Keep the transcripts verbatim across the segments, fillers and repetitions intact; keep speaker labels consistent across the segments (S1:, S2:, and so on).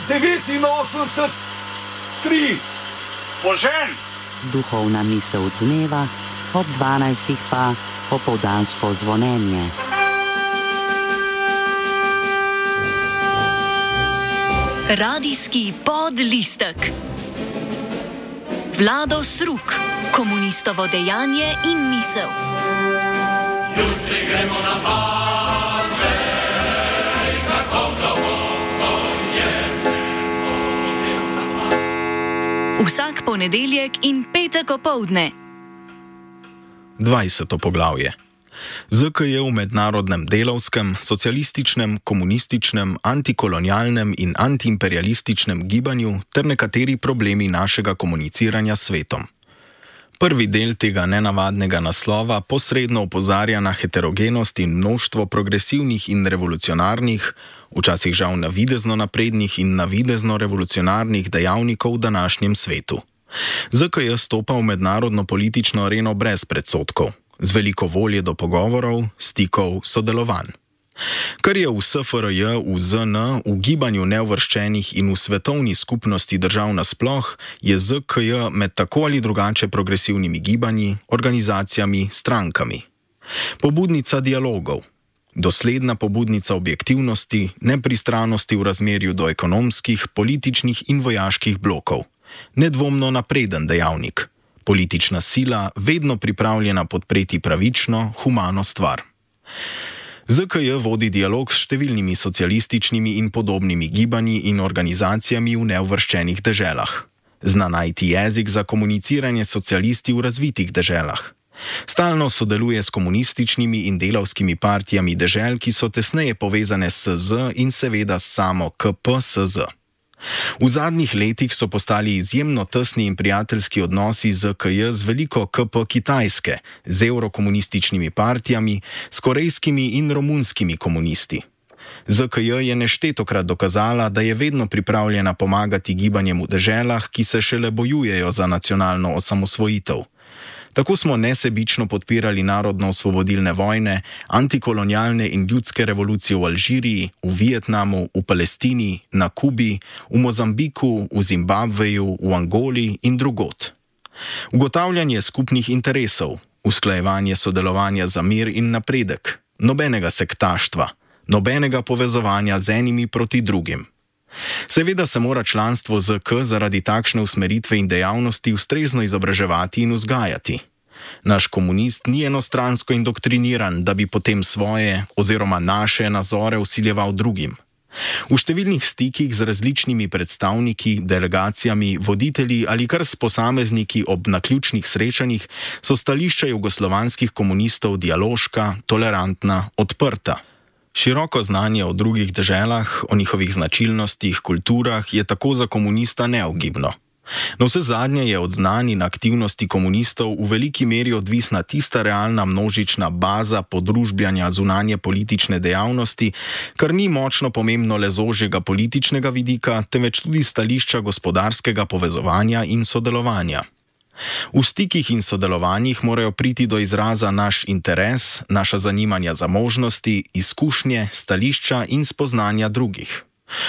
S1: devetinosemdeset tri.
S2: Požen!
S3: Duhovna misel dneva, ob dvanajstih pa opoldansko zvonjenje.
S4: Radijski podlistek. Vlado Sruk, komunistovo dejanje in misel.
S5: Jutri gremo na Patrej, kako globoko je.
S4: Vsak ponedeljek in petek opoldne.
S6: dvajseto poglavje. Z K J v mednarodnem delavskem, socialističnem, komunističnem, antikolonialnem in antiimperialističnem gibanju ter nekateri problemi našega komuniciranja s svetom. Prvi del tega nenavadnega naslova posredno opozarja na heterogenost in množstvo progresivnih in revolucionarnih, včasih žal navidezno naprednih in navidezno revolucionarnih dejavnikov v današnjem svetu. Z K J stopa v mednarodno politično areno brez predsodkov, z veliko volje do pogovorov, stikov, sodelovanj. Kar je v S F R J, v Z N, v gibanju neuvrščenih in v svetovni skupnosti držav nasploh, je Z K J med tako ali drugače progresivnimi gibanji, organizacijami, strankami. Pobudnica dialogov. Dosledna pobudnica objektivnosti, nepristranosti v razmerju do ekonomskih, političnih in vojaških blokov. Nedvomno napreden dejavnik. Politična sila, vedno pripravljena podpreti pravično, humano stvar. Z K J vodi dialog s številnimi socialističnimi in podobnimi gibanji in organizacijami v neuvrščenih deželah. Zna najti jezik za komuniciranje s socialisti v razvitih deželah. Stalno sodeluje s komunističnimi in delavskimi partijami dežel, ki so tesneje povezane s S Z in seveda s samo K P S Z. V zadnjih letih so postali izjemno tesni in prijateljski odnosi z K J z veliko K P Kitajske, z evrokomunističnimi partijami, s korejskimi in romunskimi komunisti. Z K J je neštetokrat dokazala, da je vedno pripravljena pomagati gibanjem v deželah, ki se šele bojujejo za nacionalno osamosvojitev. Tako smo nesebično podpirali narodno-osvobodilne vojne, antikolonialne in ljudske revolucije v Alžiriji, v Vietnamu, v Palestini, na Kubi, v Mozambiku, v Zimbabveju, v Angoli in drugod. Ugotavljanje skupnih interesov, usklajevanje sodelovanja za mir in napredek, nobenega sektaštva, nobenega povezovanja z enimi proti drugim. Seveda se mora članstvo Z K zaradi takšne usmeritve in dejavnosti ustrezno izobraževati in vzgajati. Naš komunist ni enostransko indoktriniran, da bi potem svoje oziroma naše nazore vsiljeval drugim. V številnih stikih z različnimi predstavniki, delegacijami, voditelji ali kar s posamezniki ob naključnih srečanjih so stališča jugoslovanskih komunistov dialoška, tolerantna, odprta. Široko znanje o drugih deželah, o njihovih značilnostih, kulturah je tako za komunista neugibno. No vse zadnje je od znanj in aktivnosti komunistov v veliki meri odvisna tista realna množična baza podružbljanja zunanje politične dejavnosti, kar ni močno pomembno le z ožjega političnega vidika, temveč tudi stališča gospodarskega povezovanja in sodelovanja. V stikih in sodelovanjih morajo priti do izraza naš interes, naša zanimanja za možnosti, izkušnje, stališča in spoznanja drugih.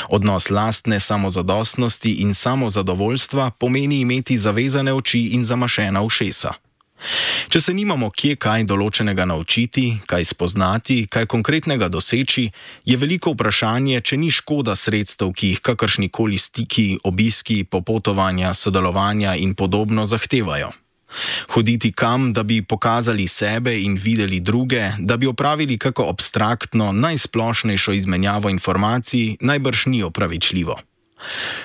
S6: Odnos lastne samozadostnosti in samozadovoljstva pomeni imeti zavezane oči in zamašena ušesa. Če se nimamo kje kaj določenega naučiti, kaj spoznati, kaj konkretnega doseči, je veliko vprašanje, če ni škoda sredstev, ki jih kakršnikoli stiki, obiski, popotovanja, sodelovanja in podobno zahtevajo. Hoditi kam, da bi pokazali sebe in videli druge, da bi opravili kako abstraktno, najsplošnejšo izmenjavo informacij, najbrž ni opravičljivo.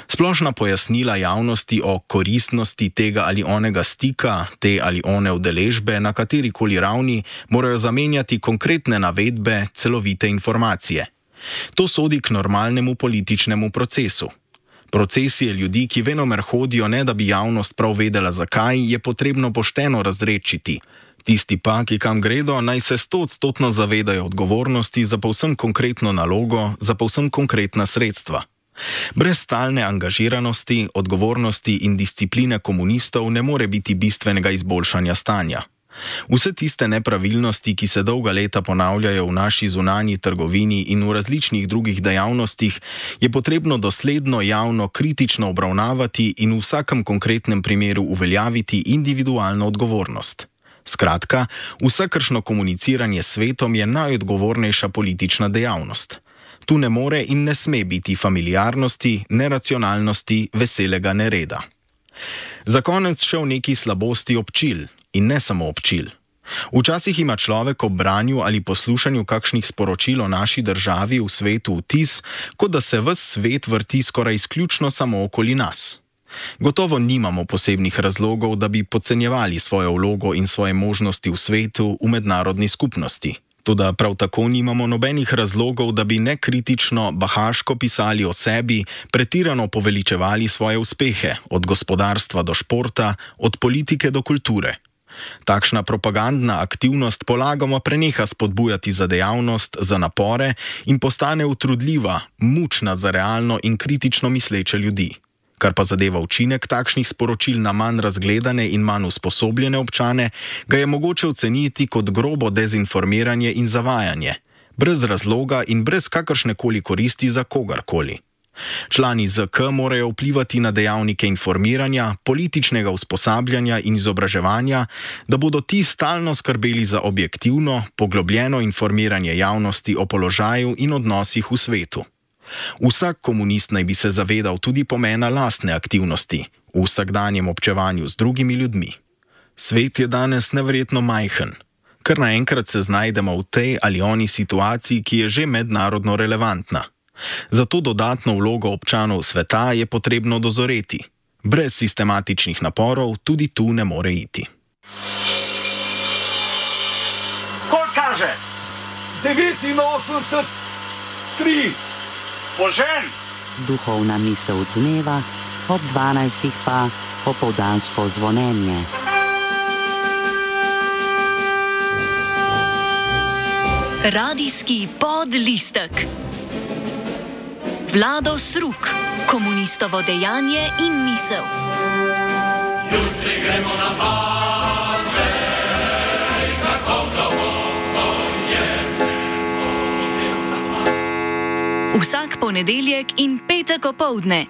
S6: Splošna pojasnila javnosti o koristnosti tega ali onega stika, te ali one udeležbe na katerikoli ravni morajo zamenjati konkretne navedbe, celovite informacije. To sodi k normalnemu političnemu procesu. Procesije ljudi, ki venomer hodijo, ne da bi javnost prav vedela zakaj, je potrebno pošteno razrečiti. Tisti pa, ki kam gredo, naj se stoodstotno zavedajo odgovornosti za povsem konkretno nalogo, za povsem konkretna sredstva. Brez stalne angažiranosti, odgovornosti in discipline komunistov ne more biti bistvenega izboljšanja stanja. Vse tiste nepravilnosti, ki se dolga leta ponavljajo v naši zunanji trgovini in v različnih drugih dejavnostih, je potrebno dosledno javno kritično obravnavati in v vsakem konkretnem primeru uveljaviti individualno odgovornost. Skratka, vsakršno komuniciranje s svetom je najodgovornejša politična dejavnost. Tu ne more in ne sme biti familiarnosti, neracionalnosti, veselega nereda. Za konec še v neki slabosti občil. In ne samo občil. Včasih ima človek ob branju ali poslušanju kakšnih sporočil o naši državi v svetu vtis, kot da se ves svet vrti skoraj izključno samo okoli nas. Gotovo nimamo posebnih razlogov, da bi podcenjevali svojo vlogo in svoje možnosti v svetu, v mednarodni skupnosti. Toda prav tako nimamo nobenih razlogov, da bi nekritično, bahaško pisali o sebi, pretirano poveličevali svoje uspehe, od gospodarstva do športa, od politike do kulture. Takšna propagandna aktivnost polagoma preneha spodbujati za dejavnost, za napore in postane utrudljiva, mučna za realno in kritično misleče ljudi. Kar pa zadeva učinek takšnih sporočil na manj razgledane in manj usposobljene občane, ga je mogoče oceniti kot grobo dezinformiranje in zavajanje, brez razloga in brez kakršnekoli koristi za kogarkoli. Člani Z K morajo vplivati na dejavnike informiranja, političnega usposabljanja in izobraževanja, da bodo ti stalno skrbeli za objektivno, poglobljeno informiranje javnosti o položaju in odnosih v svetu. Vsak komunist naj bi se zavedal tudi pomena lastne aktivnosti, v vsakdanjem občevanju z drugimi ljudmi. Svet je danes neverjetno majhen. Kar naenkrat se znajdemo v tej ali oni situaciji, ki je že mednarodno relevantna. Zato dodatno vlogo občanov sveta je potrebno dozoreti. Brez sistematičnih naporov tudi tu ne more iti.
S1: Koliko kaže? devetinosemdeset, tri. Požen!
S3: Duhovna misel dneva, ob dvanajstih pa opoldansko zvonjenje.
S4: Radijski podlistek. Vlado Sruk, komunistovo dejanje in misel.
S5: Jutri gremo na pade, kako globoko je.
S4: Vsak ponedeljek in petek opoldne.